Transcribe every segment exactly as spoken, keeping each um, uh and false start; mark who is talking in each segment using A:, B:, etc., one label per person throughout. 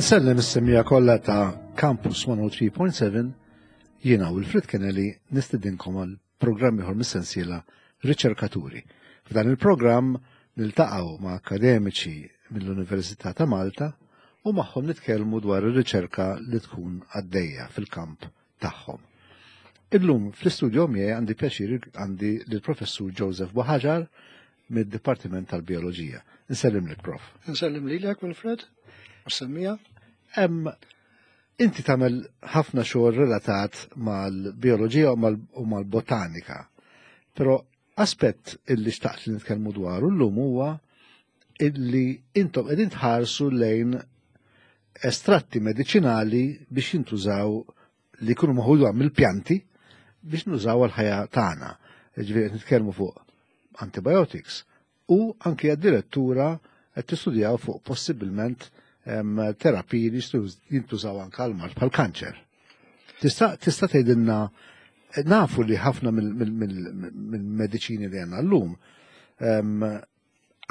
A: Insellem is-semmiegħa kollha ta' Campus mija u tlieta punt seba', jiena Wilfred Kennelly nistedinkom għal programm ieħor mis-sensiela Riċerkaturi. F'dan il-programm niltaqgħu ma' akademiċi mill-Università ta' Malta u magħhom nitkellmu dwar ir-riċerka li tkun għaddejja fil-kamp tagħhom. Illum fl-istudio miegħi għandi pjaċir għandi lill-Professur Joseph Buhagiar mid-Dipartiment tal-Bioloġija. Nsellim lek, Prof.
B: Nsellim lilek, Wilfred, u semmiegħa.
A: Em, inti tagħmel ħafna xogħol relatat mal-bioloġija u mal-botanika. Però aspett illi xtaqt li nitkellmu dwaru llum huwa illi intom qegħdin tħarsu lejn estratti medicinali biex jintużaw, li jkunu maħudu mill-pjanti biex nużaw għal-ħajja tagħna. Ġifieri qed nitkellmu fuq antibiotics u anke addirittura qed tistudjaw fuq possibilment terapiji li jintużaw anke għal mard bħal kanċer. Tista' tista' tgħidilna, nafu li ħafna mill-mediċini li għandna llum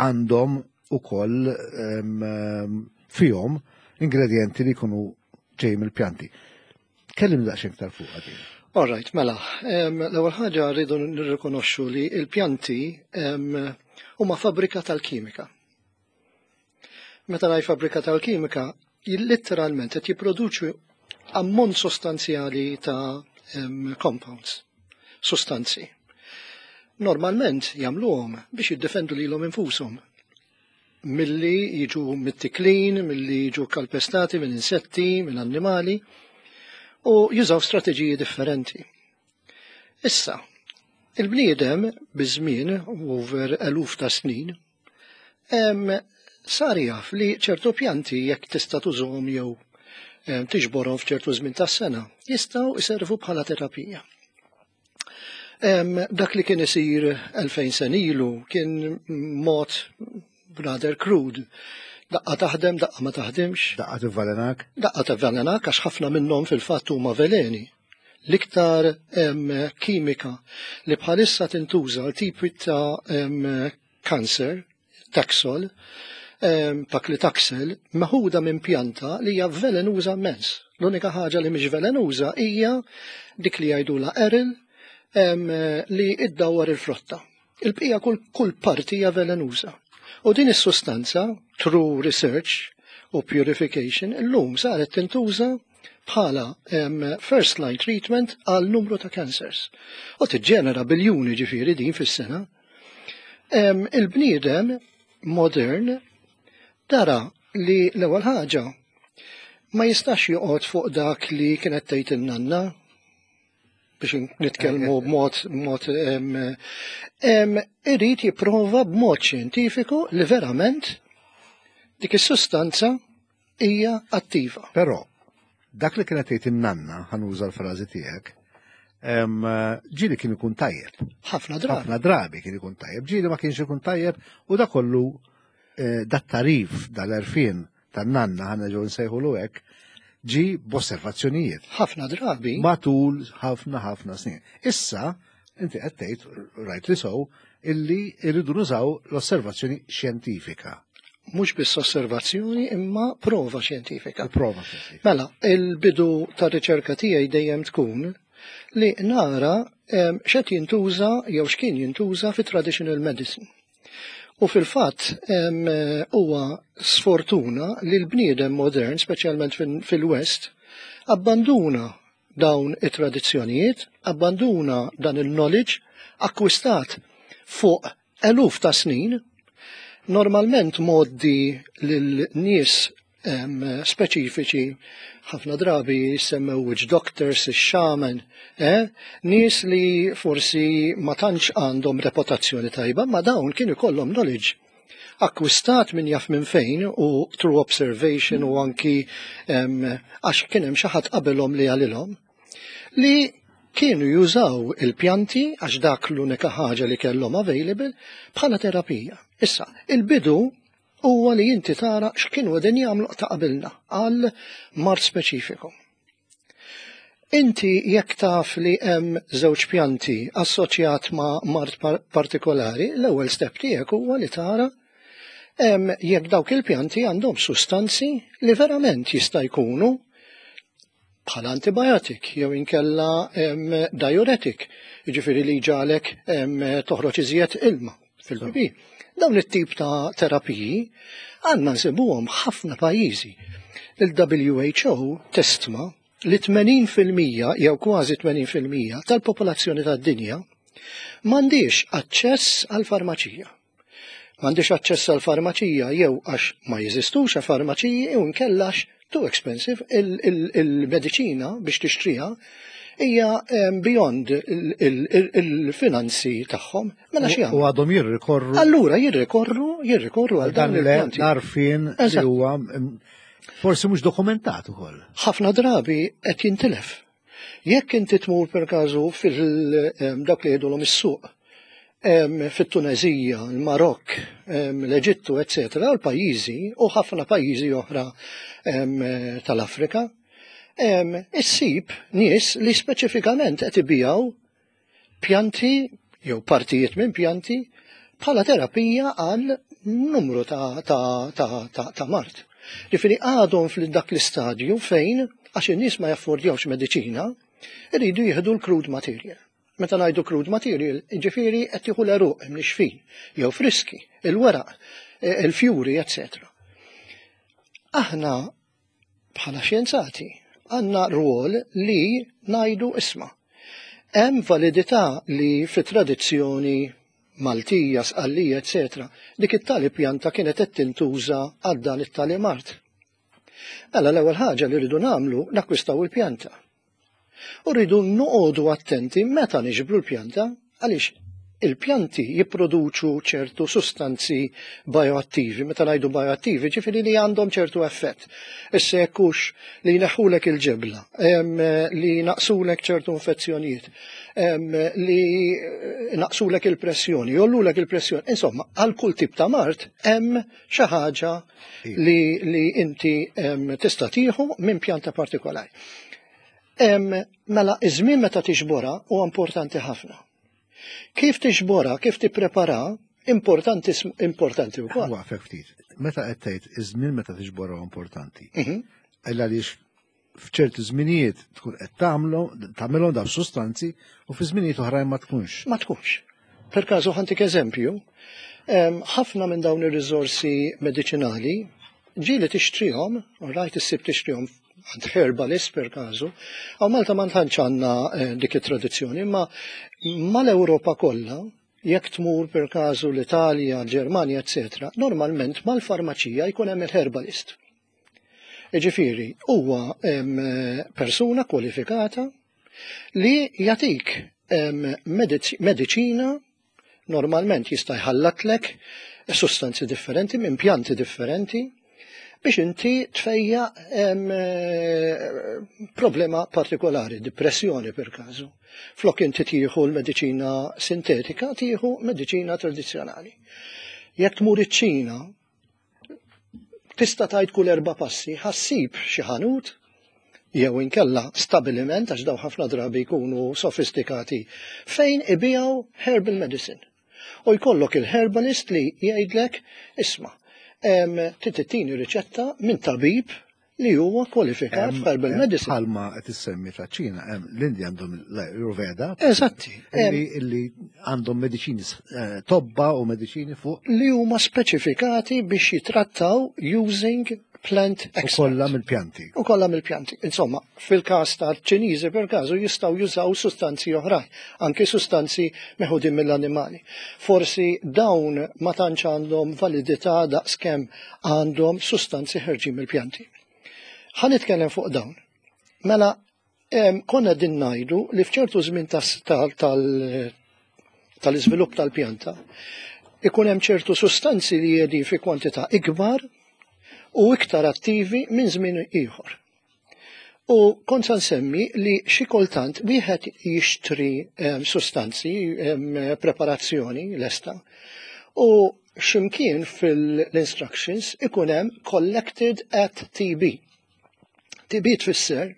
A: għandhom ukoll fihom ingredienti li jkunu ġej mill-pjanti. Kellim daqsxejn iktar fuq għadin.
B: All right, mela, l-ewwel ħaġa rridu nirrikonoxxu li l-pjanti huma fabbrika tal-kimika. Meta ngħid fabbrika tal-kimika, letteralment qed jipproduċu ammont sostanzjali ta' compounds, sostanzi. Normalment jagħmluhom biex jiddefendu lilhom infushom milli jiġu mittiklin, milli jiġu kalpestati minn insetti, minn annimali, u jużaw strateġiji differenti. Issa, il-bniedem biż-żmien, over eluf ta' snin, sar jaf li ċertu pjanti, jekk tista' tużhom jew tiġborhom f'ċertu żmien tas-sena, jistgħu jservu bħala terapija. Dak li kien isir elfejn sena ilu kien mod rather crude. Daqqa taħdem, daqqa ma taħdimx.
A: Daqqa tivvelenak.
B: Daqqa tivvelenak, għax ħafna minnhom fil-fatt huma veleni. L-iktar kimika li bħalissa tintuża għal tipi ta' kanser, Taxol, paclitaxel, meħuda minn pjanta li hija velenuża immens. L-unika ħaġa li mhix velenuża hija dik li jgħidula aril, li iddawwar il-frotta. Il-bqija kull, kull parti hija velenuża. U din is-sustanza, through research u purification, illum saret tintuża bħala um, first line treatment għal numru ta' cancers. U tiġġenera biljuni ġifieri din fis-sena. Um, Il-bniedem modern dara li l-ewwel ħaġa ma jistax joqgħod fuq dak li kienet tgħid in-nanna, biex nitkellmu b'mod mod irid jipprova b'mod xjentifiku li verament dik is-sustanza hija attiva.
A: Però dak li kienet tgħid in-nanna, ħa nuża l-frażi tiegħek, ġieli kien ikun tajjeb.
B: Ħafna drabi.
A: Ħafna drabi kien ikun tajjeb. Ġieli ma kienx ikun tajjeb u da kollu eh, dat-tarif, dal-għerfien tan-nanna, ħa nerġgħu nsejħulu hekk, ġi b'osservazzjonijiet.
B: Ħafna drabi.
A: Matul ħafna ħafna snin. Issa, inti qed tgħid, rightly so, illi irridu nużaw l-osservazzjoni xjentifika.
B: Mhux biss osservazzjoni imma prova xjentifika.
A: Prova xjentifika.
B: Mela, il-bidu tar-riċerka tiegħi dejjem tkun li nara x'qed jintuża jew x'kien jintuża fi traditional medicine. U fil-fatt huwa sfortuna li l-bniedem modern, speċjalment fil-West, abbanduna dawn it-tradizzjonijiet, abbanduna dan il-knowledge akkwistat fuq eluf ta' snin, normalment mgħoddi lil nies speċifiċi, ħafna drabi jissemmew witch doctors, shaman, eh? Nies li forsi ma tantx għandhom reputazzjoni tajba, ma dawn kienu kollhom knowledge akkwistat minn jaf minn fejn u through observation u anki għax kien hemm xi ħadd qabelhom li għalilhom li kienu jużaw il-pjanti, għax dak l-unika ħaġa li kellhom available bħala terapija. Issa, il-bidu huwa li inti tara x'kienu qegħdin jagħmlu ta' qabilna għal mard speċifiku. Inti jekk taf li hemm żewġ pjanti assoċjat ma' mard partikolari, l-ewwel step tiegħek huwa li tara Jekk dawk il-pjanti għandhom sustanzi li verament jista' jkunu bħala antibiotic jew inkella diuretic, jiġifieri li ġalek toħroġ iżjed ilma fil-pipi. Dawn it-tip ta' terapiji għandna nsibuhom ħafna pajjiżi. Il-W H O testma li tmenin fil-mija jew kważi tmenin fil-mija tal-popolazzjoni tad-dinja m'għandix aċċess għal farmaċija. M'għandix aċċess għal farmaċija jew għax ma jeżistux farmaċiji jew inkella għax too expensive, il-mediċina biex tixtriha hija beyond il-finanzi tagħhom.
A: Mela xi U għadhom jirrikorru.
B: Allura jirrikorru, jirrikorru għal
A: dan l-għarfien li huwa forsi mhux dokumentat ukoll.
B: Ħafna drabi qed jintilef. Jekk inti tmur per każu fil-dak li jgħidulhom is-suq fit-Tunezija, il-Marokk, l-Eġittu, eccetera, l-pajjiżi u ħafna pajjiżi oħra tal-Afrika, issib nies li speċifikament qed ibijaw pjanti jew partijiet minn pjanti bħala terapija għal numru ta', ta, ta, ta, ta mard. Ġifieri għadhom fil-dak l-istadju fejn għax in-nies ma jaffordjawx mediċina, iridu jieħdu l-crude material. Meta ngħidu crude material, ġifieri qed jieħu l-għeruq imnixfin, jew friski, il-weraq, il-fjuri, eċċetera. Aħna bħala xjenzati għandna rwol li ngħidu, isma'. Hemm validità li fit-tradizzjoni Maltija, Sqallija, eċċetera, dik it-tali pjanta kienet qed tintuża għal dan it-tali mard. Mela l-ewwel ħaġa li rridu nagħmlu, nakkwistaw il-pjanta. U rridu noqogħdu attenti meta niġbru l-pjanta, għaliex il-pjanti jipproduċu ċertu sustanzi bioattivi. Meta ngħidu bioattivi, ġifieri li għandhom ċertu effett. Issa jekk hux li jneħħulek il-ġebla, li naqsulek ċertu infezzjonijiet, li naqsulek il-pressjoni, jgħollulek il-pressjoni. Insomma, għal kull tip ta' mard hemm xi ħaġa li, li inti tista' tieħu minn pjanta partikolari. Mela, iż-żmien meta tiġborha huwa importanti ħafna. Kif tiġborha, kif tipprepara, importanti importanti wkoll.
A: Waqfek ftit. Meta qed tgħid iż-żmien meta tiġborha importanti. Mhm. Illa għaliex f'ċerti żminijiet tkun qed tagħmlu tagħmilhom daw sustanzi u fi żminijiet oħrajn ma tkunx.
B: Ma tkunx. Per każu ħa ntik eżempju, ħafna minn dawn ir-riżorsi mediċinali ġieli tixtrihom, rajt issib tixtrihom għand herbalist per każu, hawn Malta ma tantx għandna eh, dik it-tradizzjoni, imma mal-Ewropa kollha, jekk tmur per każu l-Italja, l-Ġermanja, eċċetera, normalment mal-farmaċija jkun hemm il-herbalist. Ġifieri, huwa persuna kwalifikata li jagħtik mediċina, normalment jista' jħallatlek sustanzi differenti minn pjanti differenti biex inti tfejjaq problema partikolari, depressjoni per każu. Flok inti tieħu l-mediċina sintetika, tieħu mediċina tradizzjonali. Jekk tmur iċ-Ċina, tista' tgħid kull erba' passi ħa ssib xi ħanut jew inkella stabiliment, għax daw ħafna drabi jkunu sofistikati, fejn ibijaw herbal medicine. U jkollok il-herbalist li jgħidlek, isma', trid riċetta minn tabib li huwa kwalifikat f'herbal medicine.
A: Bħalma qed issemmi ta' Ċina, l-Indja għandhom l-Ayurveda.
B: Eżatti.
A: Illi għandhom mediċini eh, tobba u mediċini fuq.
B: Li huma speċifikati biex jitrattaw using plant
A: extract. U kollha mill-pjanti.
B: U kollha mill-pjanti. Insomma, fil-każ tal-Ċiniżi per każu jistgħu jużaw sustanzi oħrajn, anke sustanzi meħudin mill-annimali. Forsi dawn ma tantx għandhom validità daqskemm għandhom sustanzi ħerġin mill-pjanti. Ħa nitkellem fuq dawn. Mela, konna din ngħidu li f'ċertu żmien tal-iżvilupp tal-pjanta ikun hemm ċertu sustanzi li jedi fi kwantità ikbar u iktar attivi minn żmien ieħor. U kont sa nsemmi li xi kultant wieħed jixtri sustanzi, preparazzjoni lesta, u x'imkien fil-instructions ikun hemm collected at T B. T B tfisser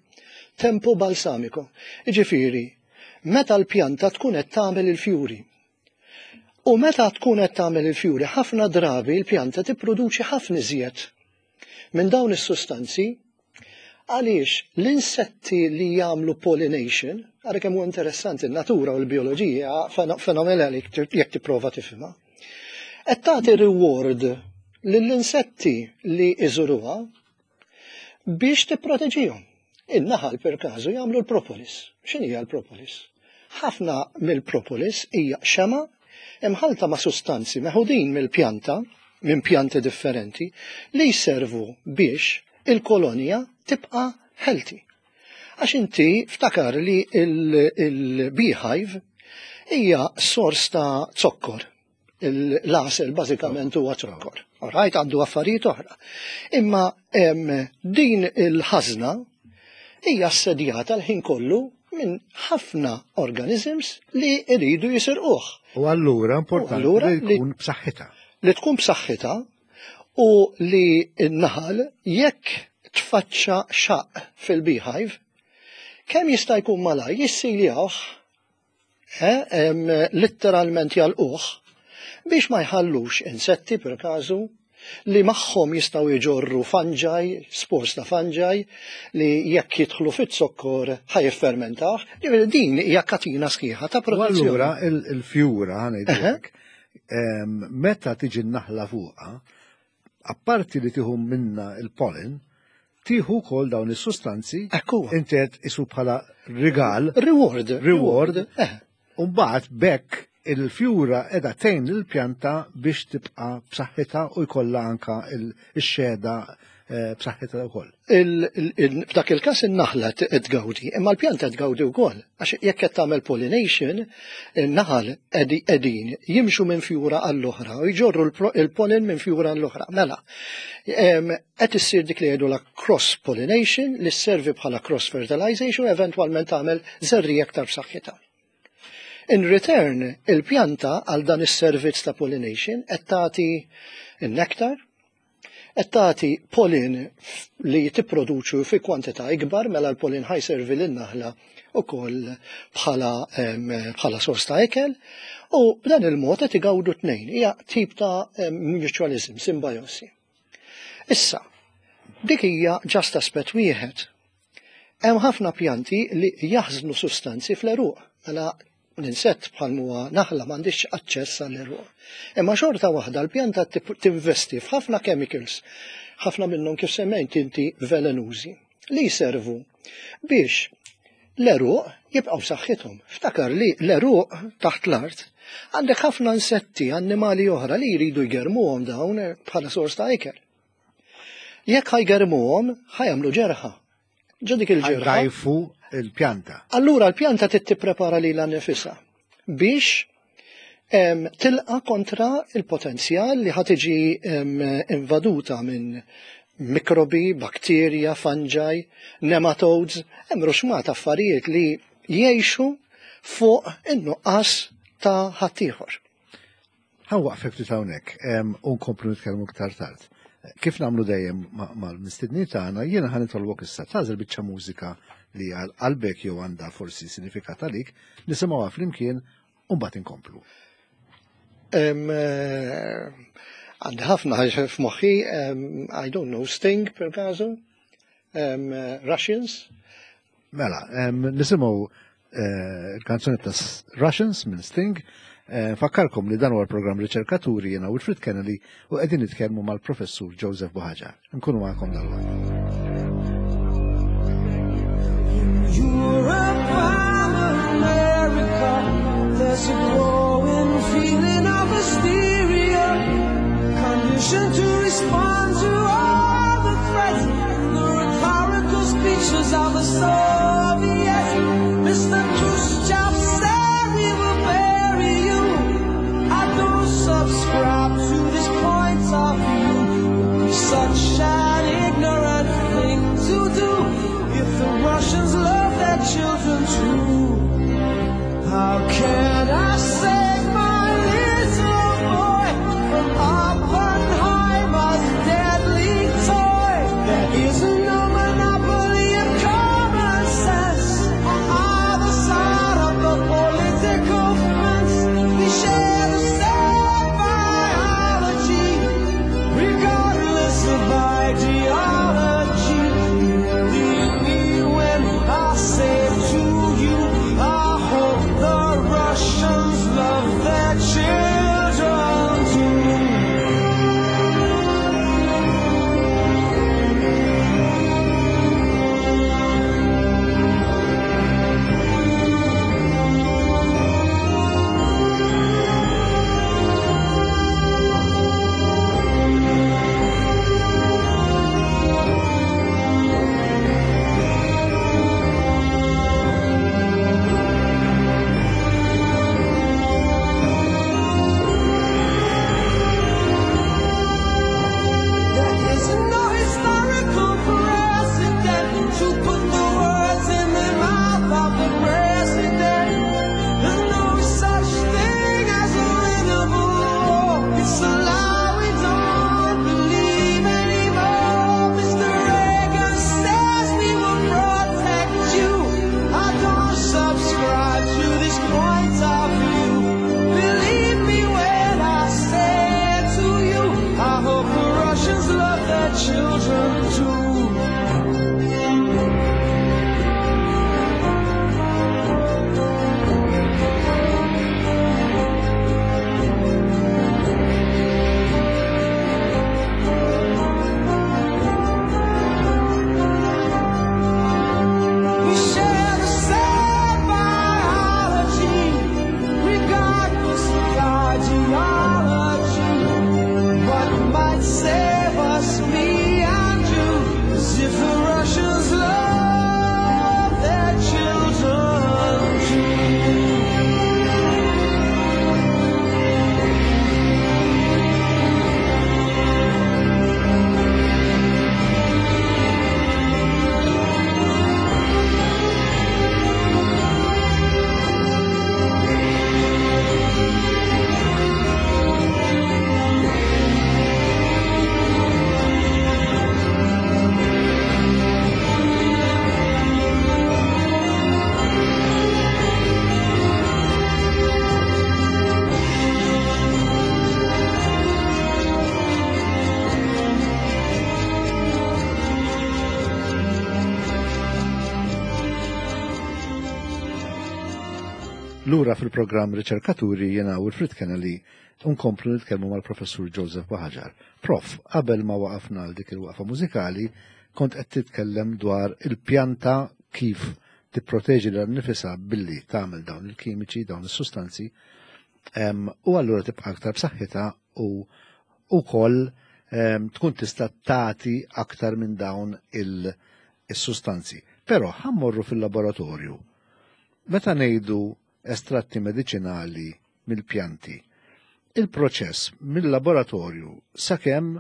B: tempo balsamico. Jiġifieri, meta l-pjanta tkun qed tagħmel il-fjuri. U meta tkun qed tagħmel il-fjuri, ħafna drabi l-pjanta tipproduċi ħafna iżjed minn dawn is-sustanzi għaliex l-insetti li jagħmlu pollination, għara kemm huwa interessanti n-natura u l-bioloġija fenomenali jekk tipprova tifhimha. Qed tagħti reward lill-insetti li iżuruha biex tipproteġihom. In-naħal per każu jagħmlu l-propolis. X'inhi hija l-propolis? Ħafna mill-propolis hija xema imħalta ma' sustanzi meħudin mill-pjanta, minn pjanti differenti, li jservu biex il-kolonja tibqa' healthy. Għax inti ftakar li il-beehive hija sors ta' zokkor. L-għasel bażikament huwa zokkor. Alright, għandu affarijiet oħra. Imma em, din il-ħażna hija assedjata l-ħin kollu minn ħafna organisms li jridu jisirquh.
A: U allura importanti
B: allura
A: li
B: li-
A: tkun b'saħħitha.
B: Li tkun b'saħħitha u li n-naħal jekk tfaċċa xaq fil-beehive, kemm jista' jkun malaj jissiljawh, eh, em, letteralment jalquh, biex ma jħallux insetti per każu li magħhom jistgħu jġorru fungi, spores ta' fungi, li jekk jidħlu fit-zokkor ħa jiffermentaw. Ġifieri din hija katina sħiħa ta'
A: U
B: protezzjoni.
A: allura il- il-fjura ħa ngħidulek, em, meta tiġi n-naħla fuqha, apparti li tieħu minna il-pollen, tieħu wkoll dawn is-sustanzi,
B: Ekku.
A: inti qed isu bħala rigal,
B: Reward.
A: Reward.
B: Eh.
A: u mbagħad bekk il-fjura qiegħda tgħin il-pjanta biex tibqa' b'saħħitha u jkollha anka il-xehda eh, b'saħħitha wkoll.
B: Il- il- il- F'dak il-każ in-naħla t- tgawdi, imma l-pjanta tgawdi wkoll. Għax jekk qed tagħmel pollination, in-naħal qedi- qegħdin jimxu minn fjura għall-oħra u jġorru l-pro- il-pollen minn fjura għall-oħra. Mela, em, qed issir dik li jgħidu la cross pollination li sservi bħala cross fertilization u eventwalment tagħmel żerriegħa aktar b'saħħitha. In return, il-pjanta għal dan is-servizz ta' pollination qed tagħti n-nektar, qed tagħti pollen li tipproduċu fi kwantità ikbar mela l-pollen ħa jservi lin-naħla ukoll bħala em, bħala sors ta' ikel u b'dan il-mod qed igawdu tnejn. Hija tip ta' em, mutualism, simbiosi. Issa, dik hija just aspett wieħed. Hemm ħafna pjanti li jaħżnu sustanzi fl-għeruq. Mela l-insett bħal huwa naħla m'għandix aċċess għall-għeruq. Imma xorta waħda l-pjanta tip- tinvesti f'ħafna chemicals, ħafna minnhom kif semmejt inti velenużi, li jservu biex l-għeruq jibqgħu saħħithom. Ftakar li l-għeruq taħt l-art għandek ħafna insetti, annimali oħra li jridu jgermuhom dawn bħala sors ta' ikel. Jekk ħa jgermuhom, ħa jagħmlu ġerħa. Ġo dik il-ġerħa.
A: Jdgħajfu il-pjanta.
B: Allura l-pjanta trid tipprepara lilha nnifisha biex em, tilqa kontra il-potenzjal li ħa tiġi em, invaduta minn mikrobi, bakterja, fungi, nematodes, hemm ruxxmata affarijiet li jgħixu fuq in-nuqqas ta' ħaddieħor.
A: Ħa nwaqqfek ftit hawnhekk em, u nkomplu nitkellmu iktar tard. Kif nagħmlu dejjem ma- mal-mistednin tagħna, jiena ħa nitolbok issa tagħżel biċċa mużika li għal qalbek jew għandha forsi sinifikat għalik, nisimgħuha flimkien u mbagħad inkomplu.
B: Em, eh, Għandi ħafna f'moħħi, em, I don't know, Sting per caso, em, eh, Russians,
A: Mela, em, nisimgħu eh, il-kanzoni ta' Russians minn Sting. Eh, Fakkarkom li dan huwa l-programm Riċerkaturi jiena Wilfred Kennedy u qegħdin nitkellmu mal-professur Joseph Buhagiar. Nkunu magħkom dalwaqt.
C: Europe and America, there's a growing feeling of hysteria, conditioned to respond to all the threats, the rhetorical speeches of the Soviets. Mister Khrushchev said we will bury you. I don't subscribe to this point of view. Would be such an ignorant thing to do if the Russians love their children too. How can I save my little boy from Oppenheimer's deadly toy? There is no monopoly of common
A: Lura fil-programm Riċerkaturi, jiena Wilfred Kennelly, nkomplu nitkellmu mal-Professur Joseph Buhagiar. Prof, qabel ma waqafna għal dik il-waqfa mużikali, kont qed titkellem dwar il-pjanta kif tipproteġi lilha nnifisha billi tagħmel dawn il-kimiċi, dawn is-sustanzi, u allura tibqa' aktar b'saħħitha u wkoll tkun tista' tagħti aktar minn dawn il-sustanzi. Però ħa mmorru fil-laboratorju. Meta ngħidu estratti mediċinali mill-pjanti, il-proċess mill-laboratorju sakemm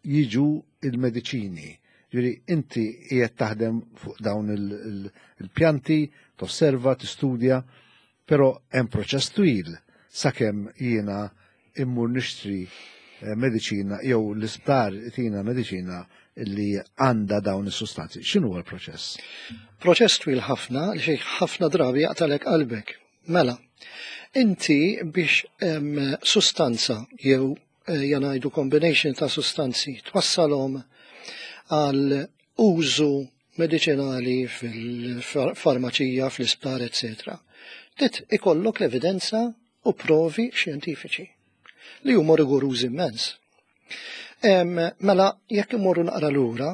A: jiġu il-mediċini. Ġifieri inti qiegħed taħdem fuq dawn il-pjanti, tosserva, tistudja, però hemm proċess twil sakemm jiena immur nixtri eh, mediċina jew l-isptar tina mediċina li għandha dawn is-sustanzi. X'inhu l-proċess?
B: Proċess twil ħafna li xi ħafna drabi jaqtalek qalbek. Mela, inti biex sustanza jew eh, ngħidu combination ta' sustanzi twassalhom għal użu medicinali fil-farmaċija, fl-isptar, et cetera. Trid ikollok l-evidenza u provi xjentifiċi li huma rigorużi immens. Mela, jekk imorru naqra lura,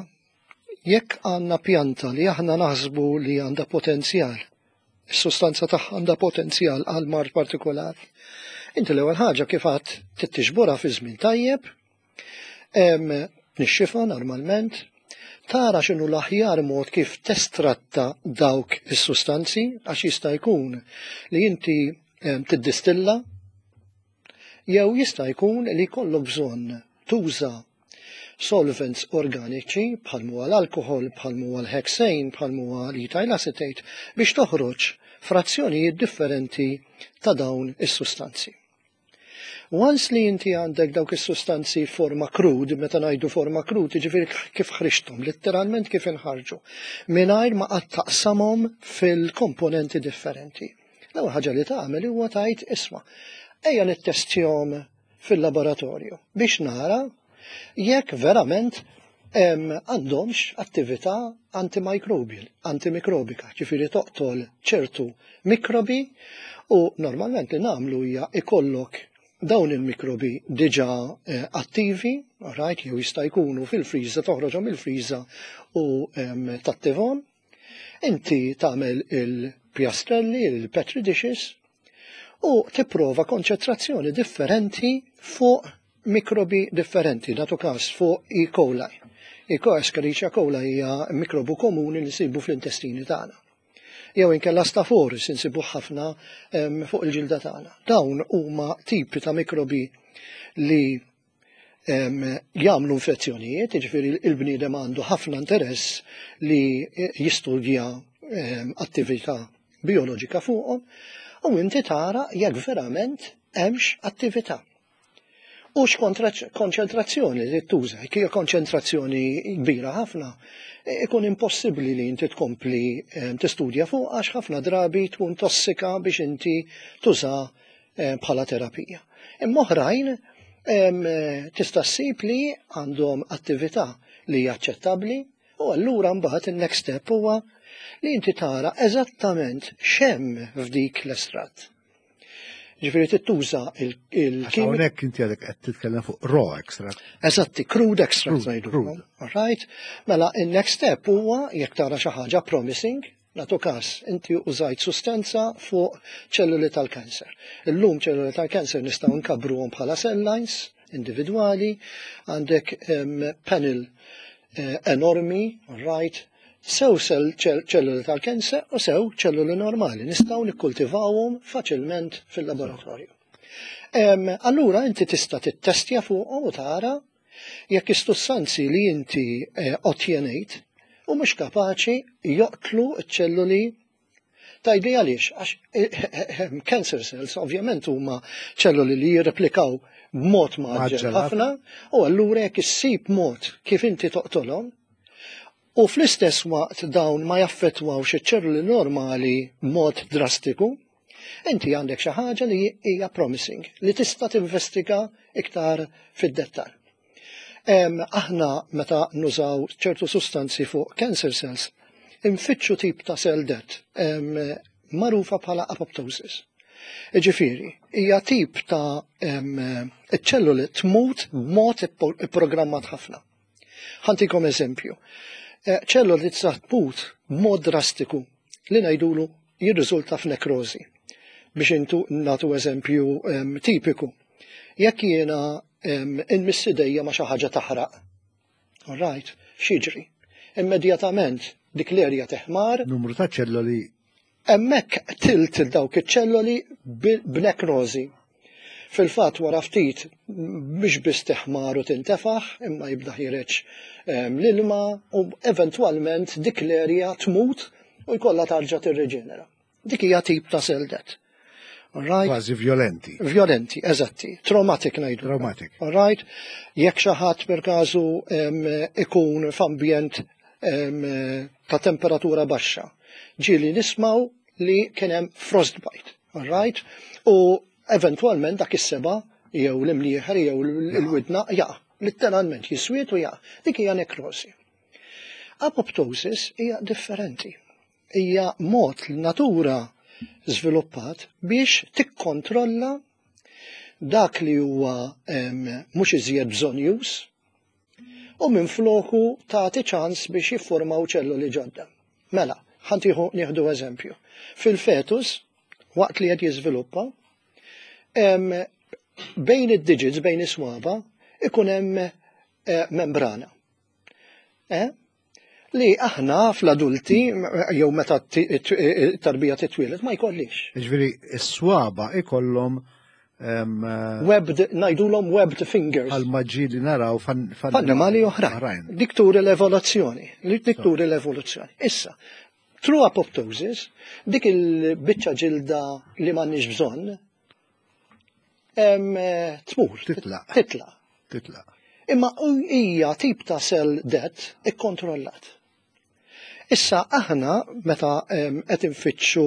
B: jekk għandna pjanta li aħna naħsbu li għandha potenzjal, is-sustanza tagħha għandha potenzjal għal mard partikolari, inti l-ewwel ħaġa kif għadt tiġborha fi żmien tajjeb, tnixxifha normalment, tara x'inhu l-aħjar mod kif testratta dawk is-sustanzi, għax jista' jkun li inti tiddistilla jew jista' jkun li jkollok bżonn tuża solvents organiċi bħal huwa l-alkohol, bħal huwa l-hexane, bħal huwa l-ethyl acetate biex toħroġ frazzjonijiet differenti ta' dawn is-sustanzi. Once li inti għandek dawk is-sustanzi forma crude, meta ngħidu forma crude, jiġifieri kif ħriġthom, letteralment kif inħarġu, mingħajr ma qatt taqsamhom fil-komponenti differenti. L-ewwel ħaġa li tagħmel huwa tgħid, "Isma', ejja nittestjahom fil-laboratorju biex nara jekk verament għandhomx attività antimicrobial, antimikrobika, ġifieri toqtol ċertu mikrobi." U normalment li nagħmlu hija ikollok dawn il-mikrobi diġa eh, attivi, right, jew jista' jkunu fil-friża, toħroġhom il-friża u tattivhom. Inti tagħmel il-pjastrelli, il-petri dishes, u tipprova konċentrazzjoni differenti fuq mikrobi differenti, nagħtu każ fuq E. coli. E. coli, Escherichia coli hija mikrobu komuni li nsibu fl-intestini tagħna. Jew inkella Staph aureus insibu ħafna fuq il-ġilda tagħna. Dawn huma tipi ta' mikrobi li jagħmlu infezzjonijiet, jiġifieri il-bniedem għandu ħafna interess li jistudja attività bioloġika fuqhom, u inti tara jekk verament hemmx attività. U x'konċentrazzjoni li tuża, jekk hija konċentrazzjoni kbira ħafna, ikun impossibbli li inti tkompli tistudja fuq għax ħafna drabi tkun tossika biex inti tuża bħala terapija. Imma oħrajn tista' ssib li għandhom attività li hija aċċettabbli, u allura mbagħad il-next step huwa li inti tara eżattament x'hemm f'dik l-estratt. Ġifieri tittuża il-kimika.
A: Hawnhekk inti għadek qed titkellem fuq raw extract.
B: Eżatti, crude extract ngħidu. All right? Mela, il-next step huwa jekk tara xi ħaġa promising, nagħtu każ, inti użajt sustanza fuq ċelluli tal-kanser. Illum ċelluli tal-kanser nistgħu nkabbruhom bħala cell lines individwali, għandek panel eh, enormi, right, sew ċelluli tal-kanser u sew ċelluli normali. Nistgħu nikkultivawhom faċilment fil-laboratorju. Allura inti tista' tittestja fuqhom u tara jekk is-sustanzi li inti eh, ottjenejt u mhux kapaċi joqtlu ċ-ċelluli. Tgħidli għaliex, għax eh, cancer cells ovvjament huma ċelluli li jirreplikaw b'mod mgħaġġel ħafna, u allura jekk issib mod kif inti toqtolhom u fl-istess waqt dawn ma jaffettwawx iċ-ċelluli normali b'mod drastiku, inti għandek xi ħaġa li hija promising, li tista' tinvestiga iktar fid-dettall. Aħna meta nużaw ċertu sustanzi fuq cancer cells, infittxu tip ta' cell death, magħrufa bħala apoptosis. Ġifieri, hija tip ta' ċelluli tmut b'mod ipprogrammat ħafna. Ħa ntikom eżempju. Eh, ċelluli tista' tmut b'mod drastiku li ngħidulu jirriżulta f'nekrożi. Biex intu nagħtu eżempju tipiku. Jekk jiena inmiss idejja ma' xi ħaġa taħraq. All right, x'jiġri? Immedjatament dik l-erja teħmar.
A: Numru ta' ċelloli.
B: Hemmhekk qtilt dawk iċ-ċelloli b'nekrożi. Fil-fatt wara ftit mhux biss teħmar u tintefaħ, imma jibda ħiereġ l-ilma u eventwalment dik l-erja tmut u jkollha tarġa' tirriġenera. Dik hija tip ta' cell death.
A: Right? Kważi violenti.
B: Violenti, eżatti. Traumatic ngħidu.
A: Traumatic.
B: All right? Jekk xi ħadd per każu ikun f'ambjent ta' temperatura baxxa. Ġieli nismaw li kien hemm frostbite. All right? U eventwalment dak is-seba' jew l-imnieħer jew l-widna jaqa'. Letteralment jiswiet u jaqa'. Dik hija nekrosi. Apoptosis hija differenti. Hija mod li natura żviluppat biex tikkontrolla dak li huwa mhux iżjed bżonjuż u minn floku tagħti ċans biex jiffurmaw ċelluli ġodda. Mela, ħa ntiħu nieħdu eżempju. Fil-fetus, waqt li qed jiżviluppa, bejn id-digits, bejn is-swaba, ikun hemm eh, membrana. Eh? Li aħna fl-adulti, jew meta tarbija titwieled, ma jkollix.
A: Ġifieri, s-swaba ikollhom
B: webbed, ngħidulhom webbed fingers.
A: Għal maġġi li naraw
B: f'annimali oħrajn. Dik turi l-evoluzzjoni. Dik turi l-evoluzzjoni. Issa, through apoptosis, dik il-biċċa ġilda li m'għandniex bżonn, tmur.
A: Titlaq.
B: Titlaq.
A: Titlaq.
B: Imma hija tip ta' cell death ikkontrollat. Issa aħna meta qed infittxu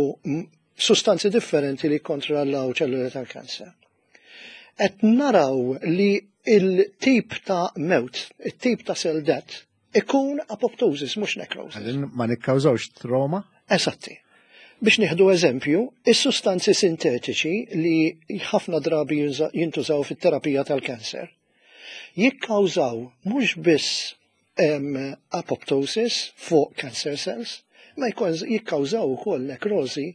B: sustanzi differenti li kontrollaw ċelluli tal-kanser. Qed naraw li il-tip ta' mewt, il-tip ta' cell death, ikun apoptosis, mhux necrosis.
A: Ma nikkawżawx trauma?
B: Esatti. Biex nieħdu eżempju, is-sustanzi sintetiċi li ħafna drabi jintużaw fit-terapija tal-kanser jikkawżaw mhux biss apoptosis fuq cancer cells, ma jikkawżaw ukoll nekrosi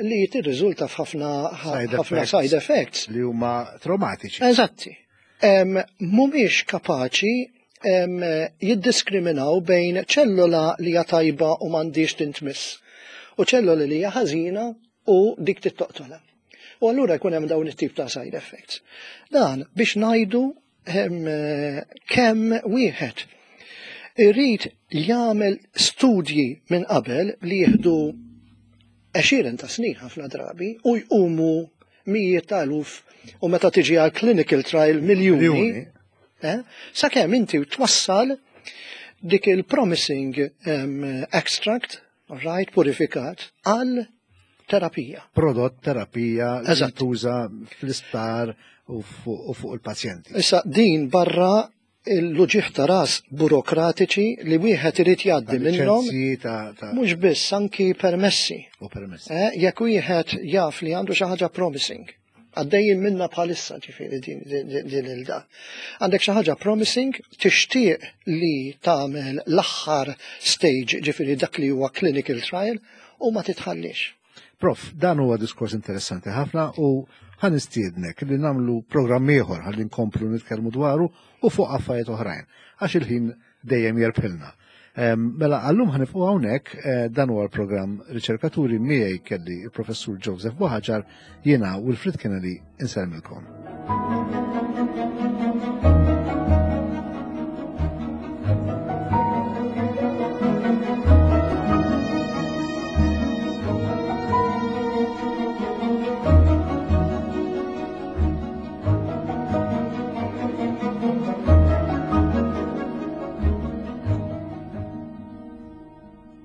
B: li tirriżulta f'ħafna ħafna side effects.
A: Li huma traumatiċi.
B: Eżatti. Mhumiex kapaċi jiddiskriminaw bejn ċellola li hija tajba u m'għandix tintmiss u ċellola li hija ħażina u dik tittoqtola. U allura jkun hemm dawn it-tip ta' side effects. Dan biex ngħidu kemm wieħed irrid jagħmel studji minn qabel li jieħdu għexieren ta' snin ħafna drabi u jqumu mijiet ta' eluf u meta tiġi għal clinical trial miljuni. Eh? Sakemm inti twassal dik il-promising um, extract, right, purifikat, għal terapija.
A: Prodott terapija li tuża fl-isptar u fuq il-pazjenti.
B: Issa din barra l-uġigħ ta' ras burokratiċi li wieħed irid jgħaddi minnhom. Mhux biss anki permessi.
A: U permessi.
B: Eh, jekk wieħed jaf li għandu xi ħaġa promising, għaddejjin minna bħalissa ġifieri din il-da. Għandek xi ħaġa promising, tixtieq li tagħmel l-aħħar stage, ġifieri dak li huwa clinical trial, u ma titħallix.
A: Prof, dan huwa diskors interessanti ħafna u ħa nistiednek li nagħmlu programm ieħor ħalli nkomplu nitkellmu dwaru u fuq affarijiet oħrajn għax il-ħin dejjem jerbħilna. Mela għallum ħa nieqfu hawnhekk, eh, dan huwa l-programm Riċerkaturi, miegħi kelli il-Professur Joseph Buhagiar, jiena Wilfred Kennedy insellmilkom.